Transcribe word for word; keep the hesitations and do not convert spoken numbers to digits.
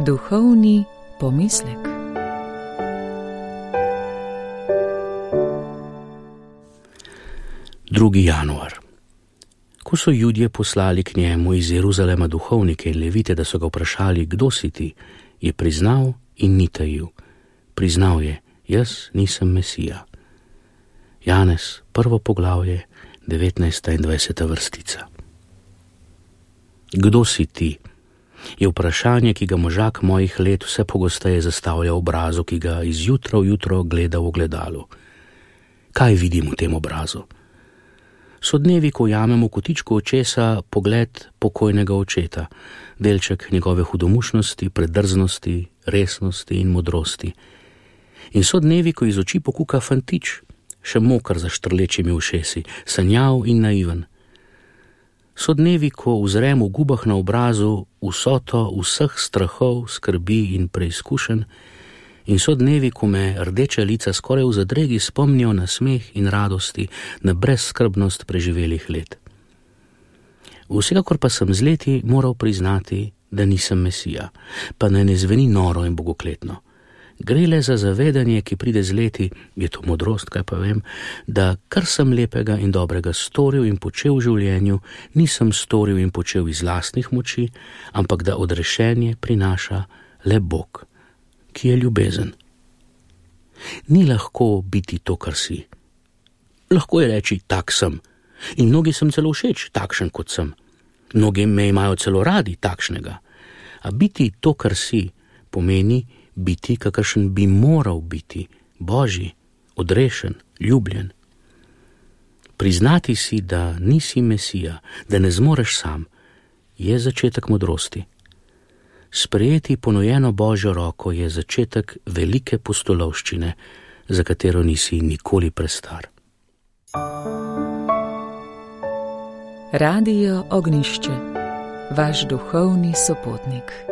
Duhovni pomislek. drugi januar. Ko so Judje poslali k njemu iz Jeruzalema duhovnike in levite, da so ga vprašali, kdo si ti, je priznal in ni tajil. Priznal je, jaz nisem Mesija. Janez, prvo poglavje, devetnajsta in dvajseta vrstica. Kdo si ti? Je vprašanje, ki ga možak mojih let vse pogosteje zastavlja v obrazu, ki ga iz jutra v jutro gleda v ogledalu. Kaj vidim v tem obrazu? So dnevi, ko jamem v kotičku očesa pogled pokojnega očeta, delček njegove hudomušnosti, predrznosti, resnosti in modrosti. In so dnevi, ko iz oči pokuka fantič, še mokar za štrlečimi ušesi, sanjav in naiven. So dnevi, ko uzrem v gubah na obrazu vsoto vseh strahov, skrbi in preizkušenj, in so dnevi, ko me rdeča lica skoraj v zadregi spomnijo na smeh in radosti, na brezskrbnost preživelih let. Vsekakor pa sem z leti moral priznati, da nisem Mesija, pa naj ne zveni noro in bogokletno. Gre le za zavedanje, ki pride z leti, je to modrost, kaj pa vem, da kar sem lepega in dobrega storil in počel v življenju, nisem storil in počel iz lastnih moči, ampak da odrešenje prinaša le Bog, ki je ljubezen. Ni lahko biti to, kar si. Lahko je reči, tak sem. In mnogi sem celo všeč, takšen kot sem. Mnogi me imajo celo radi takšnega. A biti to, kar si, pomeni biti, kakršen bi moral biti, Božji, odrešen, ljubljen. Priznati si, da nisi Mesija, da ne zmoreš sam, je začetek modrosti. Sprejeti ponujeno Božjo roko je začetek velike pustolovščine, za katero nisi nikoli prestar. Radio Ognjišče, vaš duhovni sopotnik.